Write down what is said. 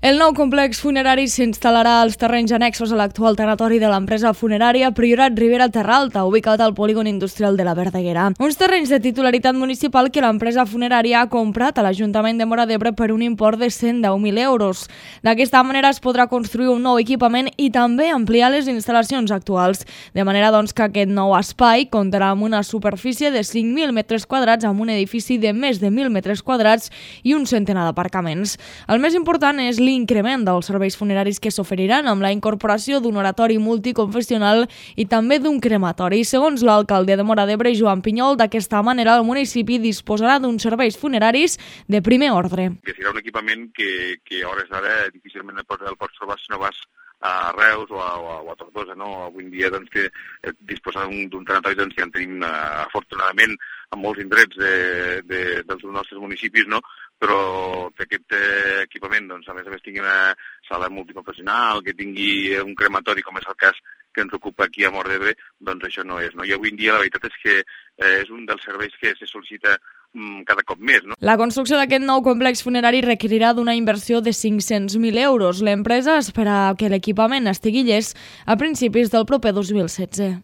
El nou complex funerari s'instal·larà als terrenys annexos a l'actual tanatori de l'empresa funerària Priorat Ribera Terralta, ubicat al polígon industrial de la Verdaguera. Uns terrenys de titularitat municipal que l'empresa funerària ha comprat a l'Ajuntament de Móra d'Ebre per un import de 110.000 euros. D'aquesta manera es podrà construir un nou equipament i també ampliar les instal·lacions actuals, de manera que aquest nou espai comptarà amb una superfície de 5.000 metres quadrats, amb un edifici de més de 1.000 metres quadrats i un centenar d'aparcaments. El més important és l'increment dels serveis funeraris que s'oferiran amb la incorporació d'un oratori multiconfessional i també d'un crematori. Segons l'alcalde de Móra d'Ebre, Joan Pinyol, d'aquesta manera el municipi disposarà d'uns serveis funeraris de primer ordre. Que serà un equipament que a hores d'ara difícilment el pots trobar si no vas a Reus o a Tortosa, no? Avui en dia que disposar d'un tanatori ja en tenim afortunadament en molts indrets dels nostres municipis, no? Però que aquest equipament a més tingui una sala multiprofessional, que tingui un crematori, com és el cas que ens ocupa aquí a Móra d'Ebre, això no és. No? I avui en dia la veritat és que és un dels serveis que se sol·licita cada cop més. No? La construcció d'aquest nou complex funerari requerirà d'una inversió de 500.000 euros. L'empresa espera que l'equipament estigui llest a principis del proper 2016.